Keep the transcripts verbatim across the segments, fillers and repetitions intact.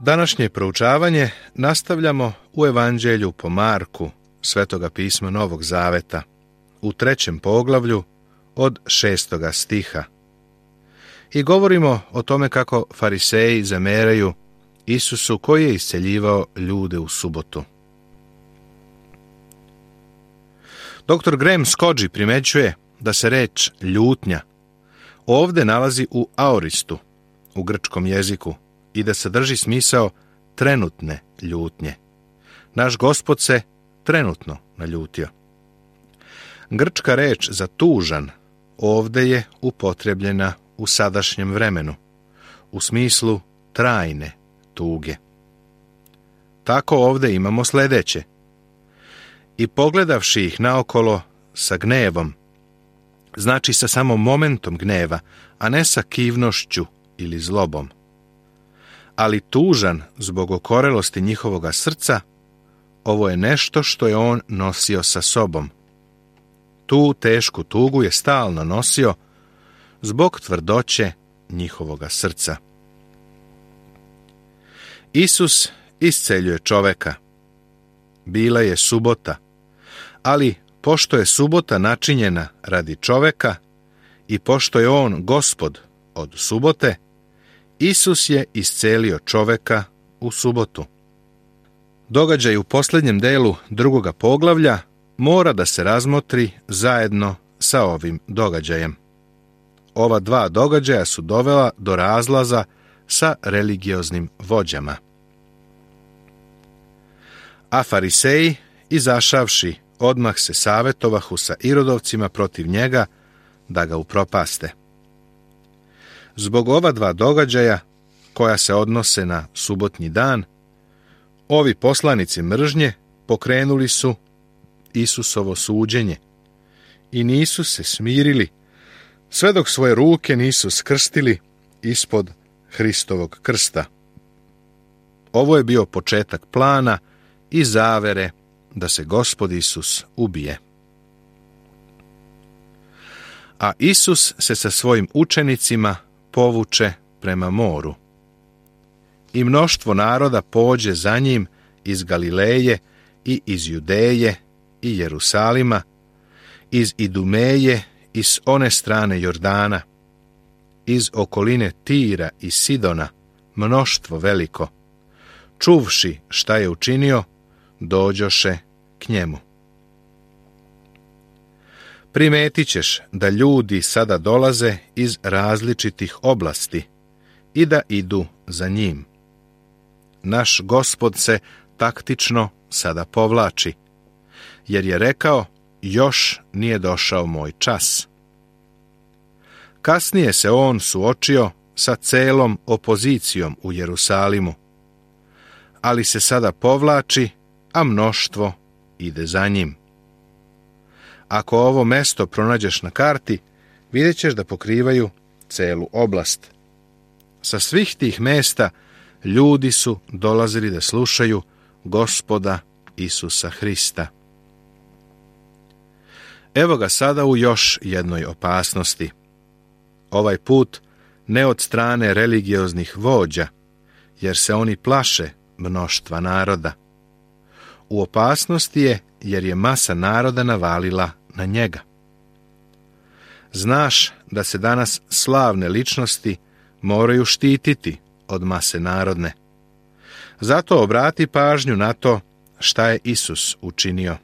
Današnje proučavanje nastavljamo u Evanđelju po Marku, Svetoga pisma Novog Zaveta, u trećem poglavlju od šestoga stiha. I govorimo o tome kako fariseji zameraju Isusu koji je isceljivao ljude u subotu. doktor Graham Scoggi primećuje da se reč ljutnja ovde nalazi u aoristu, u grčkom jeziku, i da sadrži smisao trenutne ljutnje. Naš Gospod se trenutno naljutio. Grčka reč za tužan ovde je upotrebljena u sadašnjem vremenu, u smislu trajne tuge. Tako ovde imamo sledeće. I pogledavši ih naokolo sa gnevom, znači sa samo momentom gneva, a ne sa kivnošću ili zlobom. Ali tužan zbog okorelosti njihovoga srca, ovo je nešto što je on nosio sa sobom. Tu tešku tugu je stalno nosio zbog tvrdoće njihovoga srca. Isus isceljuje čoveka. Bila je subota, ali pošto je subota načinjena radi čoveka i pošto je on Gospod od subote, Isus je iscelio čoveka u subotu. Događaj u posljednjem delu drugoga poglavlja mora da se razmotri zajedno sa ovim događajem. Ova dva događaja su dovela do razlaza sa religioznim vođama. A fariseji, izašavši, odmah se savetovahu sa Irodovcima protiv njega da ga upropaste. Zbog ova dva događaja, koja se odnose na subotnji dan, ovi poslanici mržnje pokrenuli su Isusovo suđenje i nisu se smirili sve dok svoje ruke nisu skrstili ispod Hristovog krsta. Ovo je bio početak plana i zavere da se Gospod Isus ubije. A Isus se sa svojim učenicima povuče prema moru. I mnoštvo naroda pođe za njim iz Galileje i iz Judeje i Jerusalima, iz Idumeje i s one strane Jordana, iz okoline Tira i Sidona, mnoštvo veliko. Čuvši šta je učinio, dođoše k njemu. Primetit ćeš da ljudi sada dolaze iz različitih oblasti i da idu za njim. Naš Gospod se taktično sada povlači, jer je rekao, još nije došao moj čas. Kasnije se on suočio sa celom opozicijom u Jerusalimu, ali se sada povlači, a mnoštvo ide za njim. Ako ovo mesto pronađeš na karti, vidjet ćeš da pokrivaju celu oblast. Sa svih tih mesta ljudi su dolazili da slušaju Gospoda Isusa Hrista. Evo ga sada u još jednoj opasnosti. Ovaj put ne od strane religioznih vođa, jer se oni plaše mnoštva naroda. U opasnosti je jer je masa naroda navalila na njega. Znaš da se danas slavne ličnosti moraju štititi od mase narodne. Zato obrati pažnju na to šta je Isus učinio.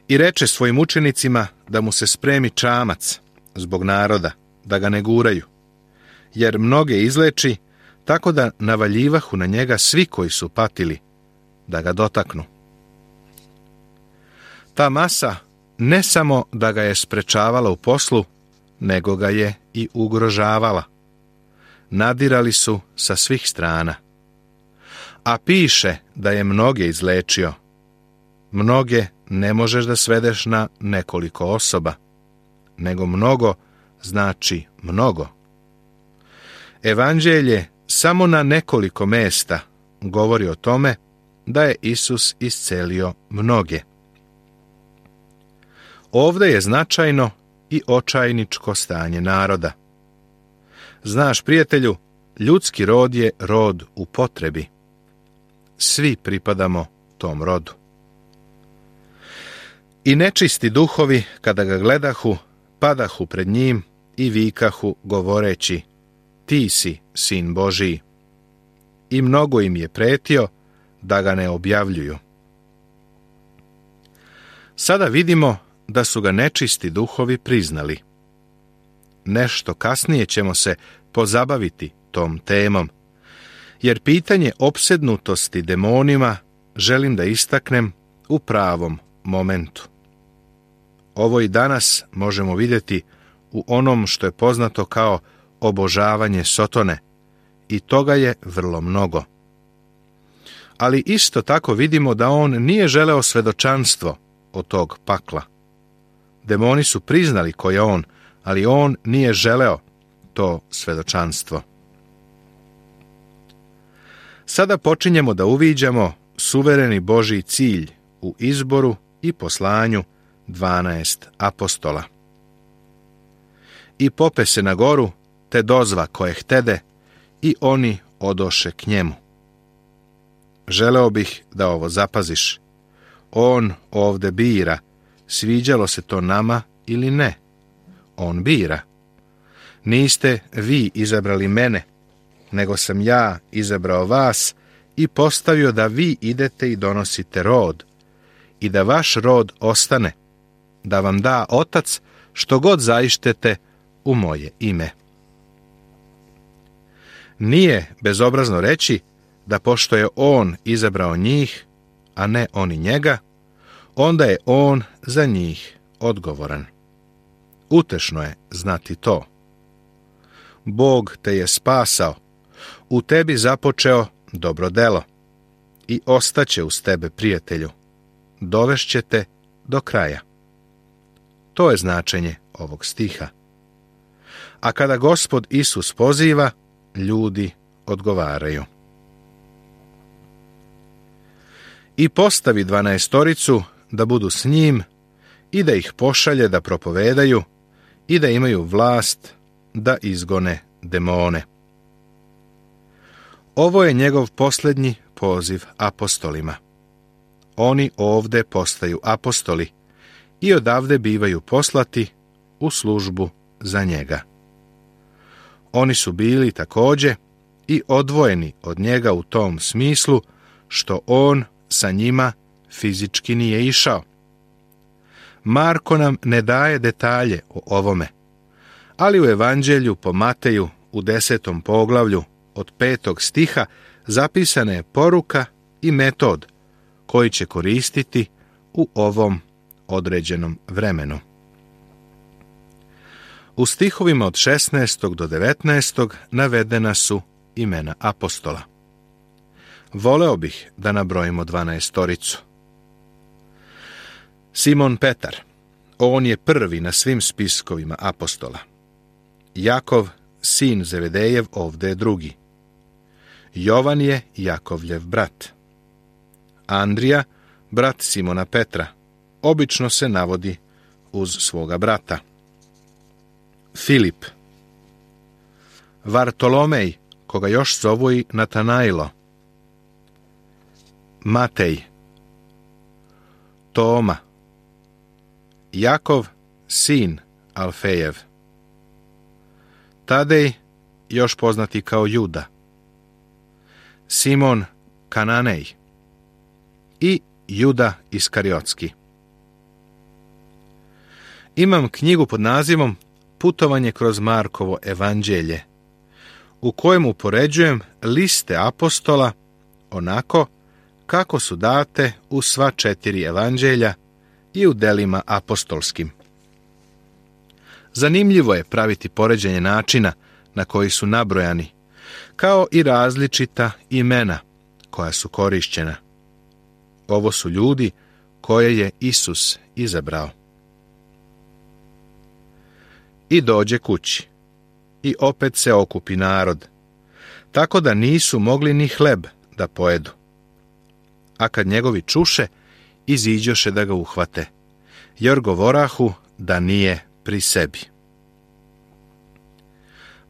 I reče svojim učenicima da mu se spremi čamac zbog naroda, da ga ne guraju, jer mnoge izleči, tako da navaljivahu na njega svi koji su patili, da ga dotaknu. Ta masa ne samo da ga je sprečavala u poslu, nego ga je i ugrožavala. Nadirali su sa svih strana. A piše da je mnoge izlečio. Mnoge ne možeš da svedeš na nekoliko osoba, nego mnogo znači mnogo. Evanđelje samo na nekoliko mesta govori o tome da je Isus iscelio mnoge. Ovde je značajno i očajničko stanje naroda. Znaš, prijatelju, Ljudski rod je rod u potrebi. Svi pripadamo tom rodu. I nečisti duhovi, kada ga gledahu, padahu pred njim i vikahu govoreći: ti si sin Božiji. I mnogo im je pretio da ga ne objavljuju. Sada vidimo da su ga nečisti duhovi priznali. Nešto kasnije ćemo se pozabaviti tom temom, jer pitanje opsednutosti demonima želim da istaknem u pravom momentu. Ovo i danas možemo vidjeti u onom što je poznato kao obožavanje Sotone, i toga je vrlo mnogo. Ali isto tako vidimo da on nije želeo svedočanstvo od tog pakla. Demoni su priznali ko je on, ali on nije želeo to svedočanstvo. Sada počinjemo da uviđamo suvereni Božji cilj u izboru i poslanju dvanaest apostola. I pope se na goru, te dozva koje htede, i oni odoše k njemu. Želeo bih da ovo zapaziš. On ovde bira, sviđalo se to nama ili ne. On bira. Niste vi izabrali mene, nego sam ja izabrao vas i postavio da vi idete i donosite rod, i da vaš rod ostane, da vam da Otac što god zaištete u moje ime. Nije bezobrazno reći da pošto je on izabrao njih, a ne oni njega, onda je on za njih odgovoran. Utešno je znati to. Bog te je spasao, u tebi započeo dobro delo i ostaće uz tebe, prijatelju. Dovešće te do kraja. To je značenje ovog stiha. A kada Gospod Isus poziva, ljudi odgovaraju. I postavi dvanaestoricu da budu s njim i da ih pošalje da propovedaju i da imaju vlast da izgone demone. Ovo je njegov posljednji poziv apostolima. Oni ovde postaju apostoli i odavde bivaju poslati u službu za njega. Oni su bili također i odvojeni od njega u tom smislu što on sa njima fizički nije išao. Marko nam ne daje detalje o ovome, ali u Evanđelju po Mateju u desetom poglavlju od petog stiha zapisana je poruka i metod koji će koristiti u ovom određenom vremenu. U stihovima od šesnaestog do devetnaestog navedena su imena apostola. Voleo bih da nabrojimo dvanaestoricu. Simon Petar, on je prvi na svim spiskovima apostola. Jakov, sin Zevedejev, ovde je drugi. Jovan je Jakovljev brat. Andrija, brat Simona Petra, obično se navodi uz svoga brata. Filip. Vartolomej, koga još zovu i Natanailo. Matej. Toma. Jakov, sin Alfejev. Tadej, još poznati kao Juda. Simon Kananej i Juda Iskariotski. Imam knjigu pod nazivom Putovanje kroz Markovo evanđelje, u kojem upoređujem liste apostola onako kako su date u sva četiri evanđelja i u delima apostolskim. Zanimljivo je praviti poređenje načina na koji su nabrojani, kao i različita imena koja su korišćena. Ovo su ljudi koje je Isus izabrao. I dođe kući, i opet se okupi narod, tako da nisu mogli ni hleb da pojedu. A kad njegovi čuše, iziđoše da ga uhvate, jer govorahu da nije pri sebi.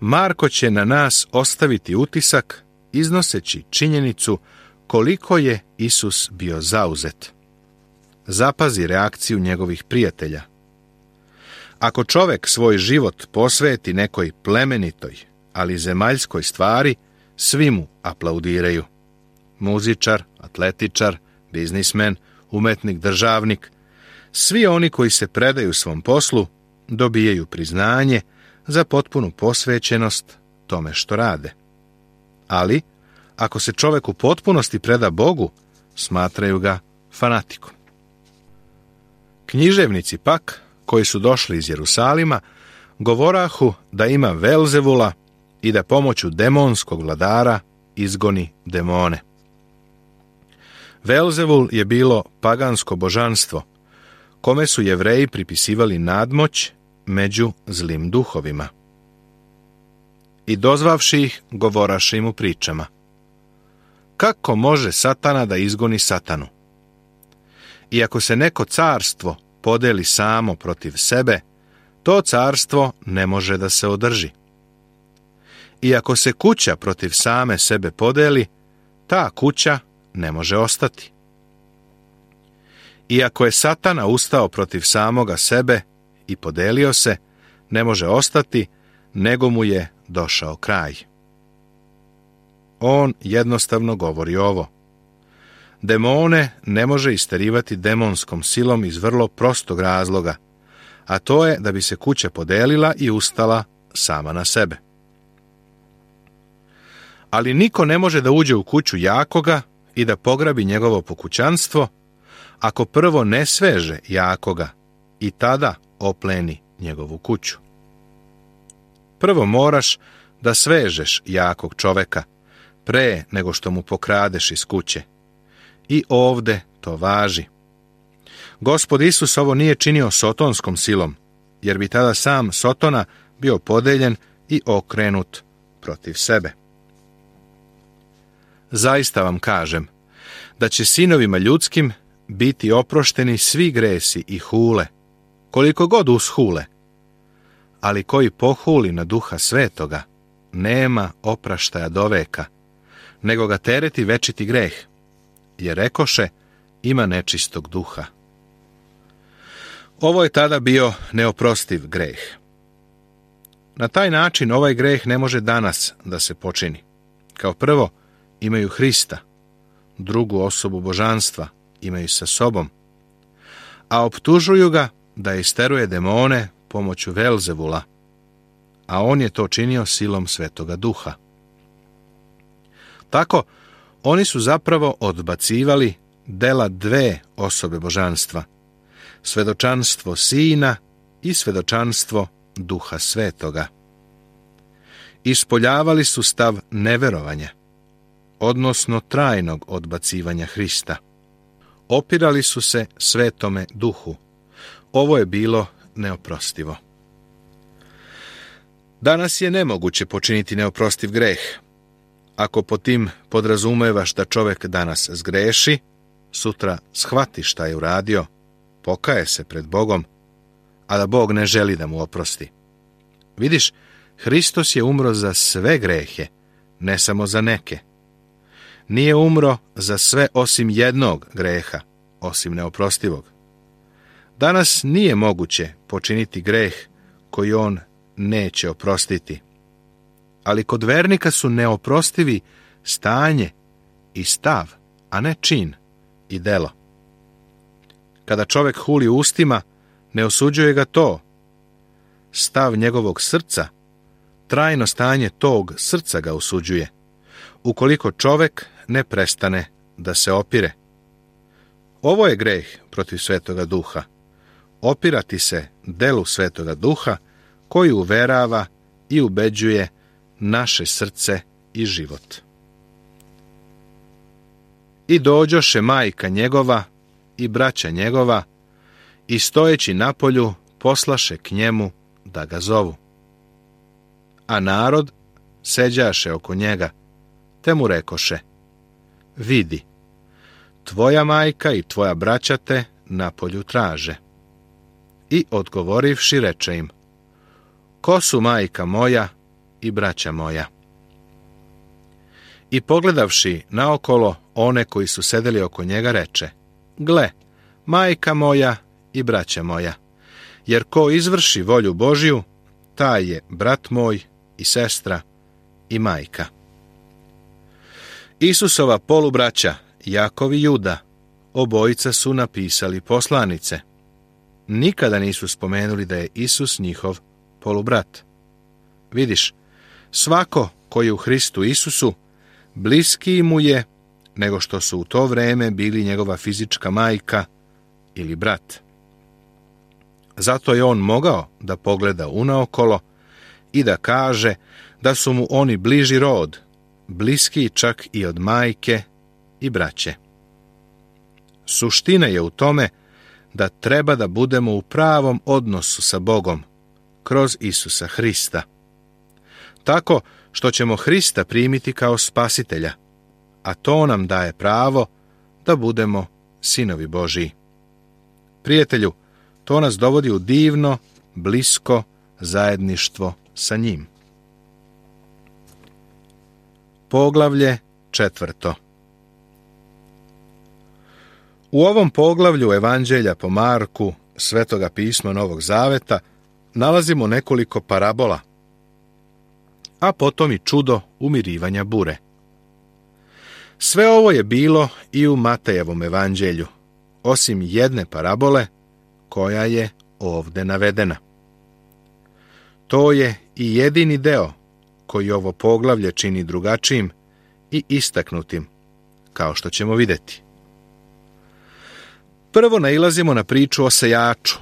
Marko će na nas ostaviti utisak iznoseći činjenicu koliko je Isus bio zauzet. Zapazi reakciju njegovih prijatelja. Ako čovjek svoj život posveti nekoj plemenitoj, ali zemaljskoj stvari, svi mu aplaudiraju. Muzičar, atletičar, biznismen, umetnik, državnik, svi oni koji se predaju svom poslu dobijaju priznanje za potpunu posvećenost tome što rade. Ali, ako se čovjek u potpunosti preda Bogu, smatraju ga fanatikom. Književnici pak, koji su došli iz Jerusalima, govorahu da ima Velzevula i da pomoću demonskog vladara izgoni demone. Velzevul je bilo pagansko božanstvo, kome su Jevreji pripisivali nadmoć među zlim duhovima. I dozvavši ih, govoraše im u pričama. Kako može satana da izgoni satanu? I ako se neko carstvo podeli samo protiv sebe, to carstvo ne može da se održi. I ako se kuća protiv same sebe podeli, ta kuća ne može ostati. I ako je satana ustao protiv samoga sebe i podelio se, ne može ostati, nego mu je došao kraj. On jednostavno govori ovo. Demone ne može isterivati demonskom silom iz vrlo prostog razloga, a to je da bi se kuća podelila i ustala sama na sebe. Ali niko ne može da uđe u kuću jakoga i da pograbi njegovo pokućanstvo, ako prvo ne sveže jakoga i tada opleni njegovu kuću. Prvo moraš da svežeš jakog čoveka, pre nego što mu pokradeš iz kuće. I ovde to važi. Gospod Isus ovo nije činio sotonskom silom, jer bi tada sam Sotona bio podeljen i okrenut protiv sebe. Zaista vam kažem, da će sinovima ljudskim biti oprošteni svi gresi i hule, koliko god ushule, ali koji pohuli na Duha Svetoga, nema opraštaja do veka, nego ga tereti večiti greh, jer rekoše, ima nečistog duha. Ovo je tada bio neoprostiv greh. Na taj način ovaj greh ne može danas da se počini. Kao prvo, imaju Hrista, drugu osobu božanstva imaju sa sobom, a optužuju ga da isteruje demone pomoću Velzevula, a on je to činio silom Svetoga Duha. Tako, oni su zapravo odbacivali dela dve osobe božanstva, svedočanstvo Sina i svedočanstvo Duha Svetoga. Ispoljavali su stav neverovanja, odnosno trajnog odbacivanja Hrista. Opirali su se Svetome Duhu. Ovo je bilo neoprostivo. Danas je nemoguće počiniti neoprostiv greh. Ako po tim podrazumevaš da čovjek danas zgreši, sutra shvati šta je uradio, pokaje se pred Bogom, a da Bog ne želi da mu oprosti. Vidiš, Hristos je umro za sve grehe, ne samo za neke. Nije umro za sve osim jednog greha, osim neoprostivog. Danas nije moguće počiniti greh koji on neće oprostiti. Ali kod vernika su neoprostivi stanje i stav, a ne čin i delo. Kada čovjek huli ustima, ne osuđuje ga to. Stav njegovog srca, trajno stanje tog srca ga osuđuje, ukoliko čovjek ne prestane da se opire. Ovo je greh protiv Svetoga Duha. Opirati se delu Svetoga Duha koji uverava i ubeđuje naše srce i život. I dođoše majka njegova i braća njegova i stojeći napolju poslaše k njemu da ga zovu. A narod seđaše oko njega, te mu rekoše, vidi, tvoja majka i tvoja braća te napolju traže. I odgovorivši reče im, ko su majka moja i braća moja. I pogledavši naokolo one koji su sedeli oko njega, reče: Gle, majka moja i braća moja, jer ko izvrši volju Božju, taj je brat moj i sestra i majka. Isusova polubraća, Jakov i Juda, obojica su napisali poslanice. Nikada nisu spomenuli da je Isus njihov polubrat. Vidiš, svako koji je u Hristu Isusu, bliskiji mu je nego što su u to vreme bili njegova fizička majka ili brat. Zato je on mogao da pogleda unaokolo i da kaže da su mu oni bliži rod, bliskiji čak i od majke i braće. Suština je u tome da treba da budemo u pravom odnosu sa Bogom kroz Isusa Hrista. Tako što ćemo Hrista primiti kao spasitelja, a to nam daje pravo da budemo sinovi Božiji. Prijatelju, to nas dovodi u divno, blisko zajedništvo sa njim. Poglavlje četvrto. U ovom poglavlju Evanđelja po Marku, Svetoga pisma Novog Zaveta, nalazimo nekoliko parabola, a potom i čudo umirivanja bure. Sve ovo je bilo i u Matejevom evanđelju, osim jedne parabole koja je ovde navedena. To je i jedini deo koji ovo poglavlje čini drugačijim i istaknutim, kao što ćemo vidjeti. Prvo nailazimo na priču o sejaču,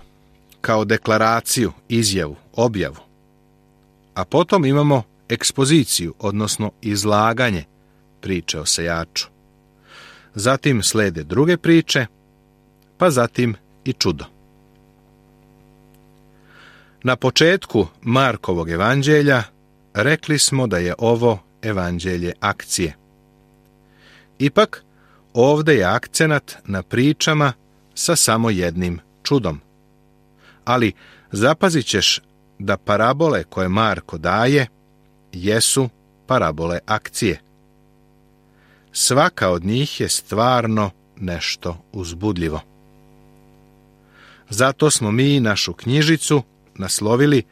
kao deklaraciju, izjavu, objavu. A potom imamo ekspoziciju, odnosno izlaganje priče o sejaču. Zatim slede druge priče, pa zatim i čudo. Na početku Markovog evanđelja rekli smo da je ovo evanđelje akcije. Ipak, ovde je akcenat na pričama sa samo jednim čudom. Ali zapazit ćeš da parabole koje Marko daje jesu parabole akcije. Svaka od njih je stvarno nešto uzbudljivo. Zato smo mi našu knjižicu naslovili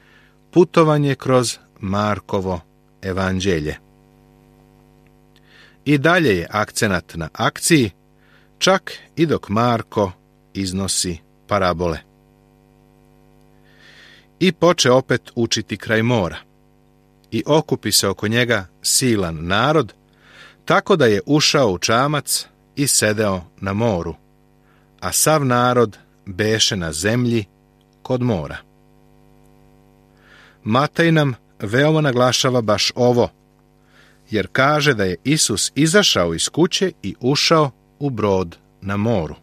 Putovanje kroz Markovo evanđelje. I dalje je akcenat na akciji, čak i dok Marko iznosi parabole. I poče opet učiti kraj mora. I okupi se oko njega silan narod, tako da je ušao u čamac i sedeo na moru, a sav narod beše na zemlji kod mora. Matej nam veoma naglašava baš ovo, jer kaže da je Isus izašao iz kuće i ušao u brod na moru.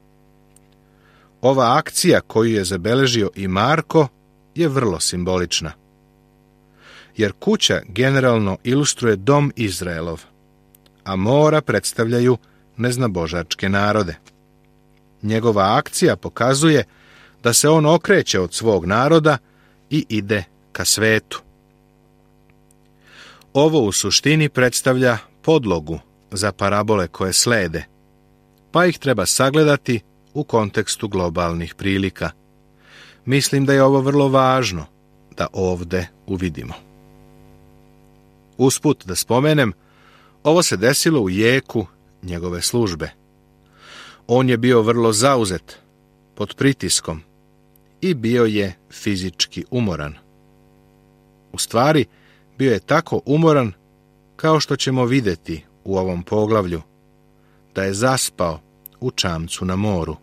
Ova akcija koju je zabeležio i Marko je vrlo simbolična, jer kuća generalno ilustruje dom Izraelov, a mora predstavljaju neznabožačke narode. Njegova akcija pokazuje da se on okreće od svog naroda i ide ka svetu. Ovo u suštini predstavlja podlogu za parabole koje slede, pa ih treba sagledati u kontekstu globalnih prilika. Mislim da je ovo vrlo važno da ovde uvidimo. Usput da spomenem, ovo se desilo u jeku njegove službe. On je bio vrlo zauzet, pod pritiskom, i bio je fizički umoran. U stvari, bio je tako umoran kao što ćemo vidjeti u ovom poglavlju, da je zaspao u čamcu na moru.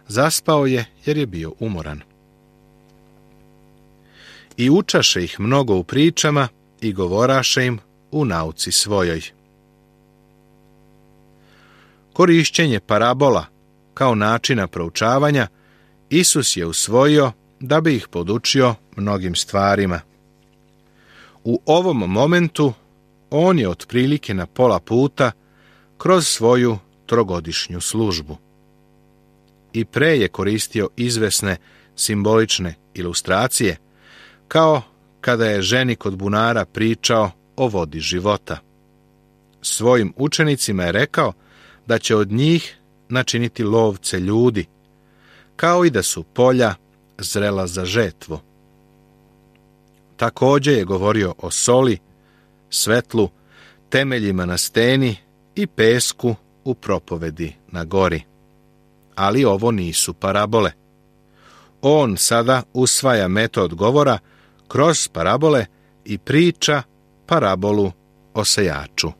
Zaspao je jer je bio umoran. I učaše ih mnogo u pričama i govoraše im u nauci svojoj. Korišćenje parabola kao načina proučavanja Isus je usvojio da bi ih podučio mnogim stvarima. U ovom momentu on je otprilike na pola puta kroz svoju trogodišnju službu. I pre je koristio izvesne simbolične ilustracije, kao kada je ženi kod bunara pričao o vodi života. Svojim učenicima je rekao da će od njih načiniti lovce ljudi, kao i da su polja zrela za žetvu. Također je govorio o soli, svetlu, temeljima na steni i pesku u propovedi na gori. Ali ovo nisu parabole. On sada usvaja metod govora kroz parabole i priča parabolu o sejaču.